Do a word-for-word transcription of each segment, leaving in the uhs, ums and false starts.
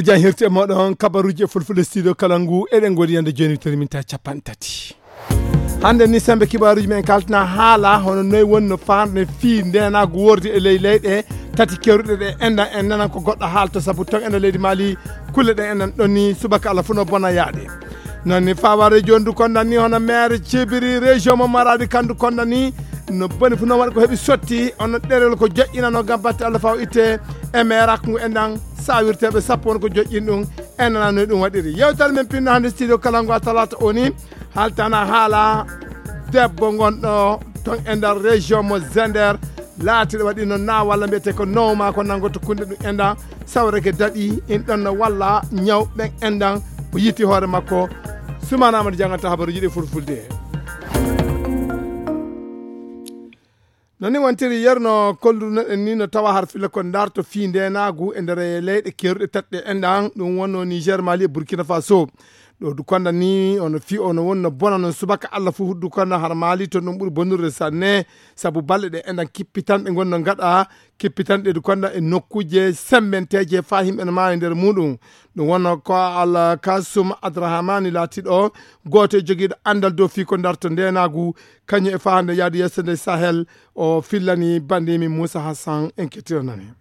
Jan hirti e moɗon kabaruji e fulfulde studio kala ngu eɗen godi yande joni terminta capanɗe tati. Hande ni sembe kibaruji men kaltina haala hono noy wonno farne fi ndenagu wordi e ley leyɗe tati kewruɗe ɗe enɗan en nanan ko goɗɗo haalto sabu ton ena leydi Mali kulle ɗe enɗan ɗon ni subaka Allah funo bona yaade. Non ni faware jondu kondan ni hono maire cibiri région mo Maradi kandu kondan ni no boni fu no waɗi ko heɓi sotti ono ɗerel ko joƴƴinano gam batte Allah faw itte e maire ngu enɗan sawirteɓe sappo won ko joƴƴin ɗum en nana no ɗum waɗiri. Yewtere men pinno hande studio kala ngu a talata o ni haltana haala debbo gonɗo ton e nder région mo Zender laatiɗo waɗi no na walla mbiyete ko nowma ko nangoto kunde ɗum enɗan sawreke daɗi in ɗon no walla ñaw ɓen enɗan o yiti hoore makko. Sumana Amadou jangata habaruji ɗi fulfulde. No ni wontiri yerno kollunoɗen ni no tawa har filla ko darto fi ndenagu e nder leyɗe keruɗe taɗɗe enɗan ɗum wonno Niger, Mali e Burkina Faso. Ɗo dukonda ni ono fi ono wonno bona non subaka Allah fu dukonda har Mali to ɗum ɓuri bonnude sanne sabu balɗe ɗe enɗan kippitanɗe gonno gaɗa kippitanɗe dukonda e nokkuje sembenteje fa himɓe no maawi nder muɗum. Ɗum wonno ko Al Kasum Adrahamani laatiɗo gooto e jogiiɗo anndal dow fii ko darto ndeenaagu kañum e fahande yaade yeeso nde Sahel. O fillani banndimi Moussa Hassan en kettiranani.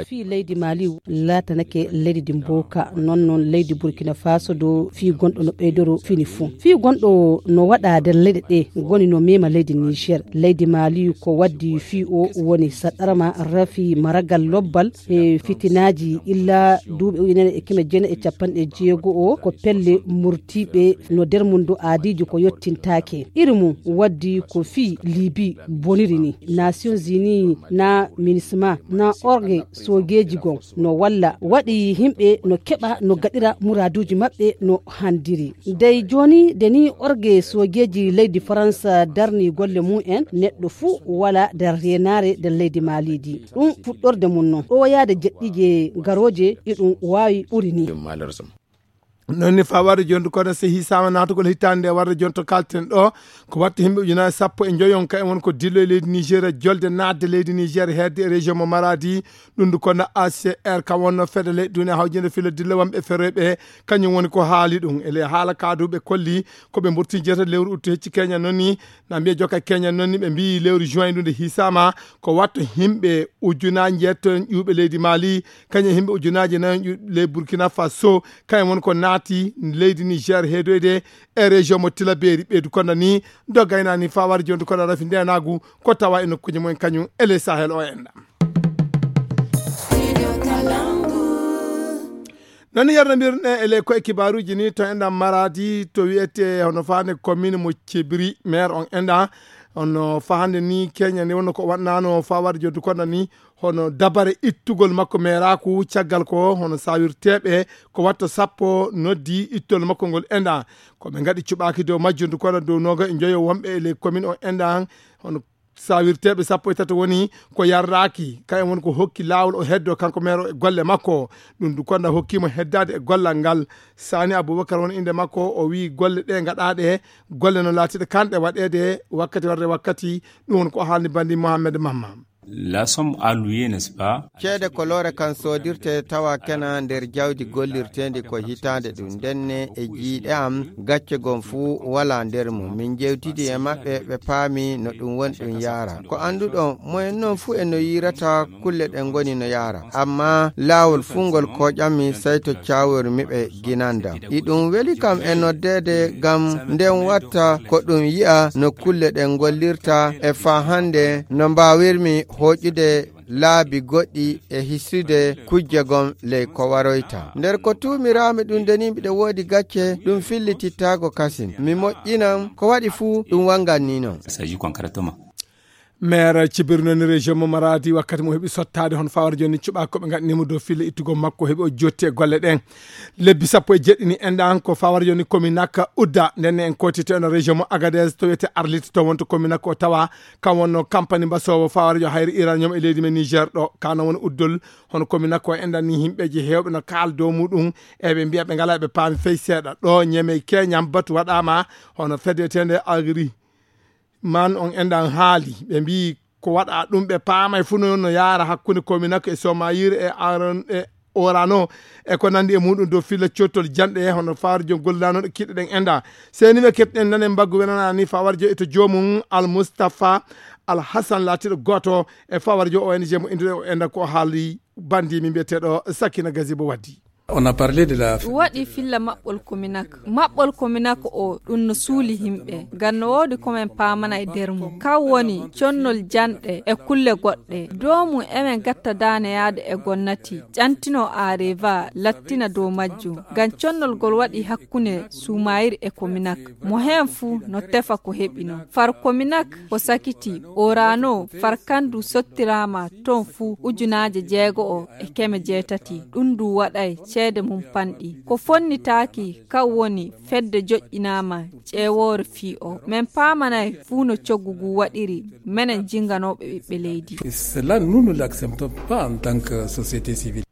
Fii leydi Mali laatanake leydi mboka non non leydi Burkina Faso dow fii gonɗo no ɓeydoro fini fuu fii gonɗo no waɗa nder leyɗe ɗe ngoni no mema leydi Niger. Leydi Mali ko waddi fii o woni saɗarma rafi maragal lobbal e fitinaaji illa duuɓi ujunere e keme jeenayi e capanɗe jeego o ko pelle murtiiɓe no nder mum do aadiiji ko yottintaake. Iri mum waddi ko fii Libi boniri ni. Nations Unies na minisma na orge soogeeji gon no walla waɗi himɓe no keɓa no gaɗira muraaduuji maɓɓe no handiri. Dey jooni de ni orge soogeeji leydi Faransa darni golle mum en neɗɗo fuu wala nder reenaare nder leydi Maliidi. Ɗum fuɗɗorde mum non ɗo yaade jeɗɗiije garooje e ɗum waawi ɓuri ni. Noon ni faa warde jonde kono so hisama naatugol hitaande nde warde jonto kalten ɗo ko watta himɓe ujunaaji sappo e njoyon ka en won ko dillo e leydi Nigeria jolde naatde leydi Nigeria hedde e région mo Maradi. Ɗum ndu kono A C R kam wonno fedde leyɗe duniya hawjinde filo dillo wonɓe feroyɓe kañum woni ko haali ɗum e ley haala kaaduɓe kolli ko ɓe mburti jeeta lewru uttu hecci Kenya noon ni na mbiya joka Kenya noon ni ɓe mbiyi lewru juin ɗum nde hisama ko watta himɓe ujunaaji njeeto ƴuuɓe leydi Mali kañum e himɓe ujunaaji nayon ƴuuɓe ley Burkina Faso kañum woni ko naati leydi Niger heedoyde e région mo Tilaberi ɓeydu kono ni do gaynani fawar jonde kono rafi ndenagu ko tawa e nokkuji mumen kañum e ley Sahel o enɗa. Noon ni yarnambirɗe e ley koye kibaruji ni to enɗa Maradi to wiyete hono fande commune mo Cebri maire on enɗa hono fahande ni Kenya ni wonno ko waɗnano fawar jonde kono ni hono dabare ittugol makko meeraku caggal ko hono sawirteɓe ko watta sappo noddi ittol makko ngol enɗa ko ɓe gaɗi cuɓaki dow majjundu kono dow noga e joyo wonɓe e ley commune o enɗa hono sawirteɓe sappo e tato woni ko yarraki kayen woni ko hokki lawol o heddo kanko meero e golle makko. Ɗum du konda hokkimo heddade e gollal ngal. Sani Abubakar woni inde makko o wi golle ɗe gaɗaɗe golle no latiɗe kanɗe waɗede wakkati warde wakkati. Ɗum woni ko haalni bandi Mohammed Mamma. La somme allouée, n'est-ce pas? Ceede ko loore kan soodirte tawa kena nder jawdi gollirteendi ko hitaande ɗum ndenne e jiiɗe am gacce gom fuu wala nder mum min jewtidi e maɓɓe ɓe paami no ɗum woni ɗum yaara ko annduɗon moyen noon fuu e no yiirata kulle ɗe ngoni no yaara amma laawol fuu ngol koƴammi sey to caawormi ɓe ginandam iɗum weli kam e noddeede ngam nden watta ko ɗum yi'a no kulle ɗen ngollirta e faa hannde no mbaawirmi hooƴude laabi goɗɗi e hisude kujje gom ley ko waroyta nder ko tuumiraami ɗum de ni mbiɗa woodi gacce ɗum fillitittaago kasin mi moƴƴinan ko waɗi fuu ɗum wanngan ni non. Maire cibiri noon région mo Maradi wakkati mo heɓi sottaade hono fawar jooni cuɓa koɓe gaɗanimo dow fille ittugol makko heɓi o jotti e golle ɗen. Lebbi sappo e jeɗɗini enɗan ko fawar jooni commune akka udda ndenne en kotite on région mo Agadez to wiyete Arlit to wonto commune akka o tawa kam wonno campagne mbasowo fawar jo hayri uranium e leydi men Niger ɗo kano woni uddol. Hono commune akka o enɗan ni himɓeji hewɓe no kaal dow muɗum eɓe mbiya ɓe ngala ɓe paami fey seeɗa ɗo ñeme keñam batu waɗama hono fedetende agri man on enɗan haali ɓe mbi ko waɗa ɗum ɓe paamay fuu no no yaara hakkunde kominako e somayire e aron e Orano e ko nanndi e muɗum dow filla cottol janɗe, hono fawar jom gollanoɗo kiɗɗo ɗen enda. Seni ɓe ketɗen nanen mbaggu wenanani fawar jo e to joomum Al Mustafa Al Hassan laatiɗo gooto e fawar jo O N G mo Indien o enda ko haali bandi mi mbiyeteɗo Sakina Gazibo waddi. On a parlé de la waɗi filla maɓɓol kominak. Maɓɓol kominak o ɗum no suuli himɓe. Ngam no woodi ko men paamana e nder mum. Kan woni connol janɗe e kulle goɗɗe. Dow mum emen gatta daane yaade e gonnati. Ƴantino Areva lattina dow majjum. Ngam connol ngol waɗi hakkunde Suumayir e kominak. Mo heen fuu no tefa ko heɓino. Far kominak ko sakiti. Orano far kandu sottiraama ton fuu ujunaaje jeego'o e keme jeetati. Ɗum ndu waɗay ceede mum panɗi. Ko fonnitaaki kan woni fedde joƴƴinaama ƴeewoore fii o. Men paamanay fuu no coggu ngu waɗiri menen jinganooɓe ɓiɓɓe leydi. Cela, nous ne l'acceptons pas en tant que société civile.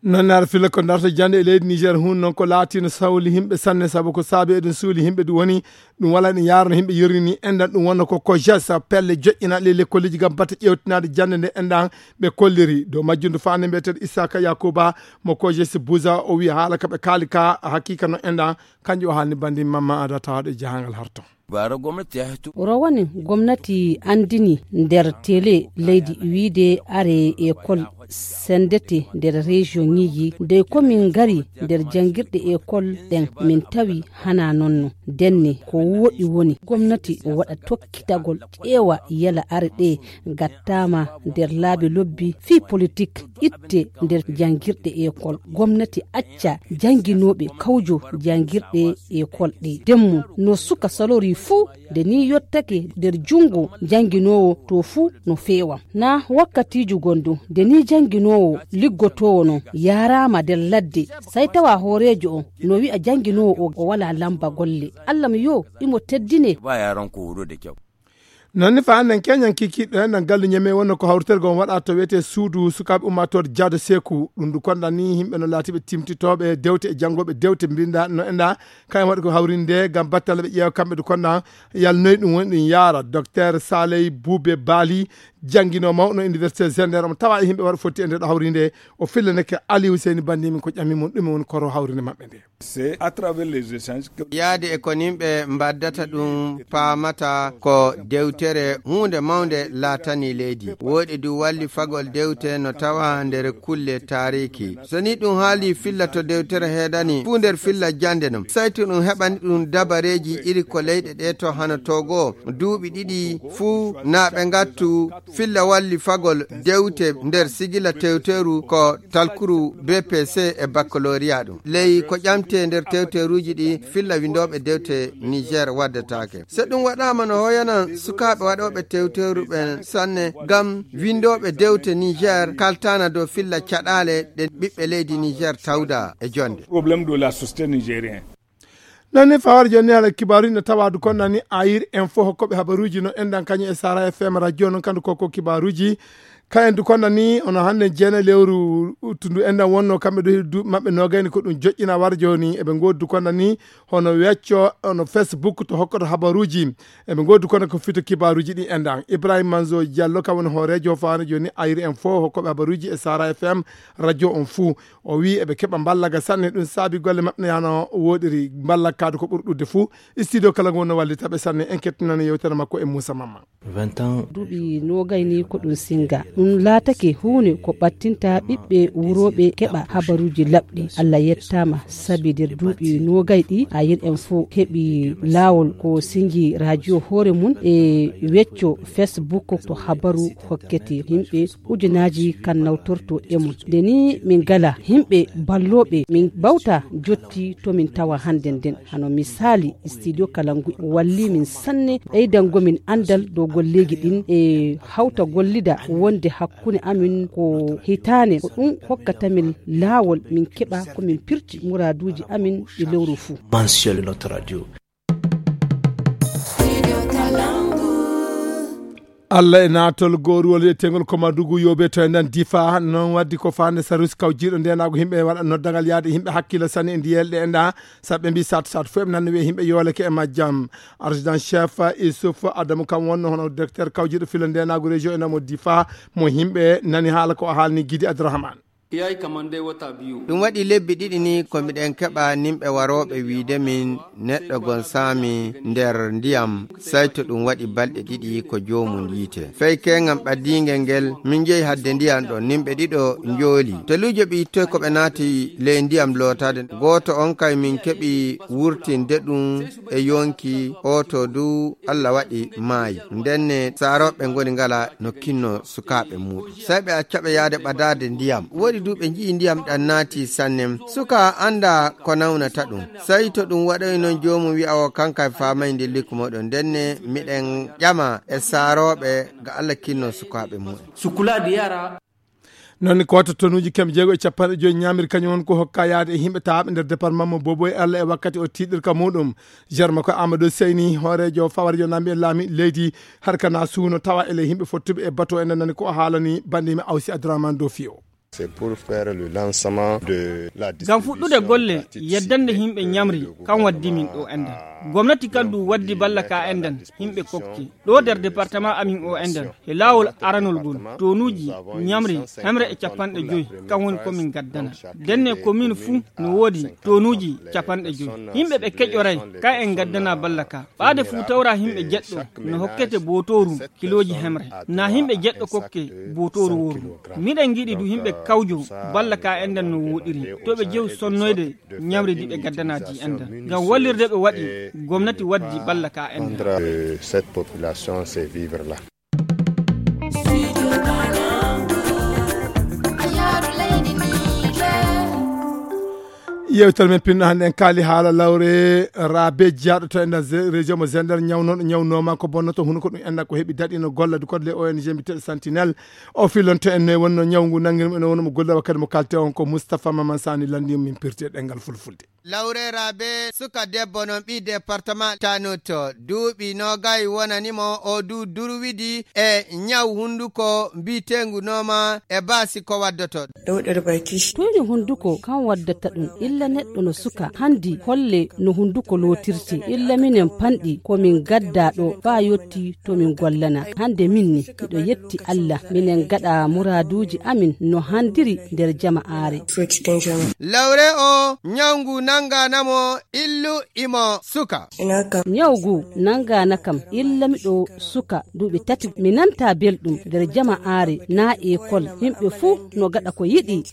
Noon naata filla ko darto jannde e leydi Niger hun noon ko laatino sawli himɓe sanne sabu ko saabi eɗen suuli himɓe ɗum woni ɗum wala ɗum yaarno himɓe yorrini enɗan ɗum wonno ko kojes pelle joƴƴinaɗe lekkolleji gam batte ƴewtinaade jannde nde enɗan ɓe kolliri dow majjum ndu faande mbiyeteɗo Issaka Yakuba mo kojes Buza o wi haala ka ɓe kaali ka haqiqa no enɗan kanjum o haalni bandi mamma ada tawaɗo e jahangal harto. Bara gwamnati ya hito. Rowani gwamnati andini nder tele leydi wiide are ekol sendete nder région ŋiji dey komin ngari nder jangirɗe ekol ɗen min tawi hana nonno denne ko woɗi woni gwamnati o waɗa tokkitagol ƴeewa yala are ɗe gattama nder laabi lobbi fii politik itte nder jangirɗe ekol gomnati acca janginooɓe kawjo jangirɗe ekol ɗe demmu no suka salori fuu nde ni yottake nder jungo janginoowo to fuu no feewa na wakkatiiju gondu nde ni janginoowo liggotoowo non yaaraama nder ladde sai tawa hooreejo on no wi'a janginoowo o o wala lamba golle allah mi yo imo teddine. Ba yaran ko horo da kyau. Noon ni fa hannden keñan kikiiɗo enɗan gallu ñeme wonno ko hawritergo on waɗa to wiyetee suudu sukaaɓe ummaatoore jaado seeku ɗum ndu konɗan ni yimɓe no laatiiɓe timtitooɓe dewte e janngooɓe dewte mbinnda no enɗa kayen waɗi ko hawrinde ngam battale ɓe ƴeewa kamɓe ndu konɗan yalnoyi ɗum woni ɗum yaara docteur saley buube baali jannginoo mawɗo université zender omo tawa e yimɓe waɗa fotti e nde ɗo hawrinde o fillaneke aliou seyni banndi min ko ƴami mum ɗume woni koro hawrinde maɓɓe nde. C'est à travers les échanges que yaade e ko nimɓe mbaddata ɗum paamata ko dewtere huunde mawnde laatani leydi. Wooɗi du walli fagol dewte no tawa nder kulle taariki. So ni ɗum haali filla to dewtere heedani fuu nder filla jannde non. Saytu ɗum heɓani ɗum dabareeji iri ko leyɗe ɗe to hano Togo duuɓi ɗiɗi fuu na ɓe ngattu filla walli fagol dewte nder sigila tewteru ko talkuru B P C e baccalauréat ɗum. Ley ko ƴamte nder tewteruuji ɗi filla windooɓe dewte Niger waddataake. So ɗum waɗaama no hoyanan sukaaɓe waɗooɓe tewteru ɓen sanne ngam windooɓe dewte Niger kaltaana dow filla caɗaale ɗe ɓiɓɓe leydi Niger tawda e jonde. Problème de la société nigérienne. Noon ni fawar jonni haala kibaaruji no tawa du konnani ayir en fof hokkoɓe habaruji no enɗan kañum e sara F M radio noon kandu koko kibaaruji kayen du konnani ono hannde jeena lewru tundu enɗan wonno kamɓe du duuɓi maɓɓe nogayni ko ɗum joƴƴina war joni eɓe ngoodi du konnani hono wecco ono Facebook to hokkoto habaruji eɓe ngoodi kono ko fito kibaaruji ɗi enɗan Ibrahima Manzo Diallo kam woni hoorejo fawar joni ayir en fof hokkoɓe habaruji e sara F M radio on fuu O wiyi eɓe keɓa mballaga sanne ɗum saabi golle maɓɓe ne yano woɗiri mballakkaade ko ɓuri ɗuɗde fuu. Studio kala ngu wonno wallitaɓe sanne en kettinani yewtere makko e Moussa Mamma. Vingt ans. Duuɓi nogay ni ko ɗum singa ɗum laatake huunde ko ɓattinta ɓiɓɓe wurooɓe keɓa habaruuji laɓɗi. Allah yettaama sabi nder duuɓi nogay ɗi a yen en fof heɓi laawol ko singi radio hoore mum e wecco Facebook to habaru hokkete yimɓe ujunaaji kan nawtorto e mum nde ni min ngala yimɓe ballooɓe min mbawta jotti to min tawa hannde nden hano misaali studio kala ngu walli min sanne ɓeydango min anndal dow golleeji ɗin e hawta gollida wonde hakkunde amin ko hitaane ko ɗum hokkata min laawol min keɓa ko min pirti muraaduuji amin e lewru fuu. Mensuel de notre radio. Allah e naatol gooruwol wiyetengol ko Madugu Yobe to e nden Difa noon waddi ko faande sarus kawjiiɗo ndenaagu yimɓe waɗa noddagal yaade yimɓe hakkilo sanne e ndiyelɗe e nda sabu ɓe mbi sat sat fof eɓe nanna wiye yimɓe yooleke e majjam. Adjudant chef Issouf Adamu kam wonno hono directeur kawjiiɗo filo ndenaagu région e namo Difa mo yimɓe nani haala ko o haalni Gidi Abdourahmane. Ɗum waɗi lebbi ɗiɗi ni ko miɗen keɓa nimɓe warooɓe wiide min neɗɗo gon saami nder ndiyam, sey to ɗum waɗi balɗe ɗiɗi ko joomum yiite. Fey keeŋam ɓadiingel ngel, min njehi hadde ndiyam ɗon, nimɓe ɗiɗo njooli. Teluujo ɓe ittoy ko ɓe naati ley ndiyam lootaade. Gooto on kay min keɓi wurtinde ɗum e yonki, oo to du Alla waɗi maayi. Ndenne saarooɓe ngoni ngala no kinno sukaaɓe muuɗum. Sey ɓe acca ɓe yaade ɓadaade ndiyam. Woodi du ɓe nji'i ndiyam ɗam naati sanne. Suka annda ko nawnata ɗum. Sey to ɗum waɗoy noon joomum wi'a o kanka e faamay ndi likku mooɗon. Ndenne miɗen ƴama e saarooɓe ga Alla kinno sukaaɓe muuɗum. Sukulaade yara. Noon ko wata tonuuji keme jeego e capanɗe joyi ñaamiri kañum won ko hokka yaade e yimɓe tawaaɓe nder département mo Boboy Alla e wakkati o tiiɗirka muuɗum. Jarma ko Amadou Seyni, hooreejo fawarjo nambi e laami leydi harkana suuno tawa ele yimɓe fottuɓe e bato en nani ko o haalani bannde yimɓe Awsi Abdourahmane Dofi o. C'est pour faire le lancement de la distribution gratuite. Ngam fuɗɗude golle, yeddande yimɓe ñamri, kan waddi min ɗo enɗan. Gomnati kan du waddi balla ka enɗan, yimɓe kokki. Ɗo nder département amin o enɗan, e laawol aranol ngol, tonuuji, ñamri, hemre e capanɗe joyi, kan woni ko min gaddana. Ndenne commune fuu no woodi tonuuji capanɗe joyi. Yimɓe ɓe keƴoray, ka en gaddana balla ka. Ɓaade fuu tawra yimɓe jeɗɗo, no hokkete bootooru kilooji hemre. Na yimɓe jeɗɗo kokke bootooru wooru. Miɗen ngiɗi du yimɓe kawjo balla ka enɗan no woɗiri. To ɓe jew sonnoyde ñamri ndi ɓe gaddanaaji enɗan. Ngam wallirde ɓe waɗi, gomnati waddi balla ka enɗan. Rendre, euh, cette population ces vivres-là. Yewtere men pinno hannde en kaali haala lawre Rabe jiyaaɗo to enɗan ze-, région mo Zender ñawnooɗo ñawnoma ko bonnoto hunuko ɗum enɗan ko heɓi daɗi no golla du code les O N G mbiyeteeɗo Sentinelle. O filonto en noy wonno ñaw ngu nangirmo ene wonno mo golla wakkati mo kalte on ko Moustapha Maman Sani landi min pirti e ɗengal fulfulde. Lawre Rabe, suka debbo non ɓii département Tanoto, duuɓi noogay wonani mo, o du durwidi e ñaw hunduko mbiyeteengu nooma e baasi ko waddoto. Ɗowɗere bay kishi. Tuyni hunduko kan waddata ɗum, illa neɗɗo no suka, handi holle no hunduko lootirte, illa minen panɗi ko min gadda ɗo faa yotti to min gollana. Hande min ni, miɗo yetti Allah, minen gaɗa muraaduuji amin no handiri nder jama'aare. Lawre o, ñaw ngu nangaana mo, illu imo suka. Ñaw ngu nangaana kam, illa miɗo suka duuɓi tati. Mi nanta belɗum nder jama'aare naa ekol. Yimɓe fuu no gaɗa ko yiɗi.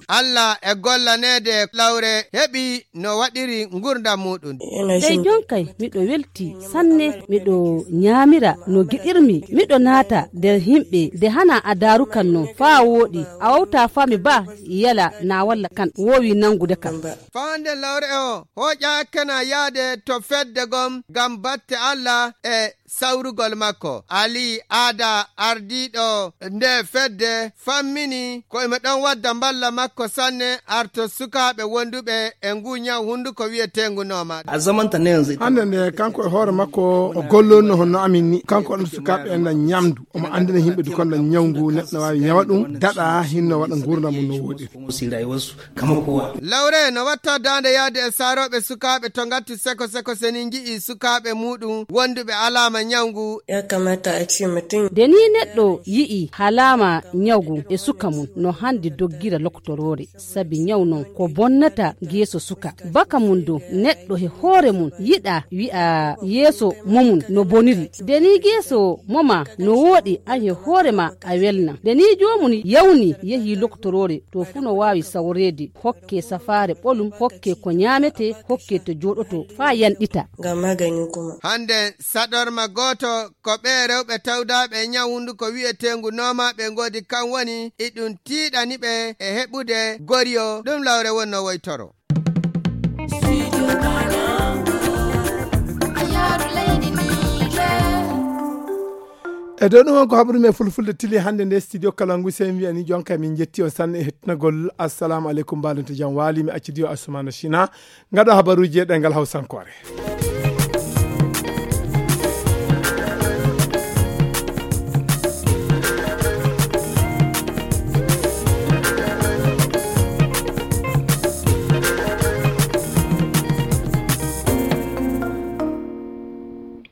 Allah e gollaneede lawre heɓi no waɗiri ngurdam muuɗum. Sey jonkay miɗo welti sanne, miɗo ñaamira no giɗirmi. Miɗo naata nder yimɓe de hana a daarukan non faa wooɗi. A wawta faa mi ba yala na walla kan woowi nangude kam. Faa hande lawre o hooƴaakena yaade to fedde gom ngam batte Allah e sawrugol makko. Ali Aada ardiiɗo nde fedde fammini ko imo ɗon wadda mballa makko sanne arto sukaaɓe wonduɓe e ngu ñaw hunduko wiyeteengu nooma. Hande nde kanko e hoore makko o gollonno honno amin ni. Kanko on sukaaɓe en na ñamdu. Omo andina yimɓe du kon na ñaw ngu neɗɗo waawi ñawa ɗum, daɗa hinno waɗa ngurdam mum no woɗiri. Lawre no watta daande yaade e saarooɓe sukaaɓe to ngatti seko seko seni nji'i sukaaɓe muuɗum wonduɓe alaama ñaw ngu. Nde ni neɗɗo yi'i alaama ñaw ngu e suka mum no handi doggira lokotoroore, sabi ñaw non ko bonnata geeso suka. Baka mum du neɗɗo he hoore mum yiɗa wi'a yeeso momum no boniri. Nde ni geeso moma no wooɗi an he hoore ma a welna. Nde ni joomum yawni yehi lokotoroore to fuu no waawi sawreede. Hokke safaare ɓolum, hokke ko ñaamete, hokke to jooɗoto faa yanɗita. Ngam magani kuma. Hande saɗorma gooto ko ɓee rewɓe tawdaaɓe e ñaw hunduko wiyeteengu nooma ɓe ngoodi kan woni iɗum tiiɗani ɓe e heɓude goriyo ɗum lawre wonno woytoro. E dow ɗum on ko haɓru men fulfulde tili hannde nde studio Kalangu, sey mi wiyani jonka min jetti on sanne e hettinagol. Assalamu aleykum, mbaɗen to jam waali, mi accidi o Assoumana China. Ngaɗo habaruuji e ɗengal Hawsankoore.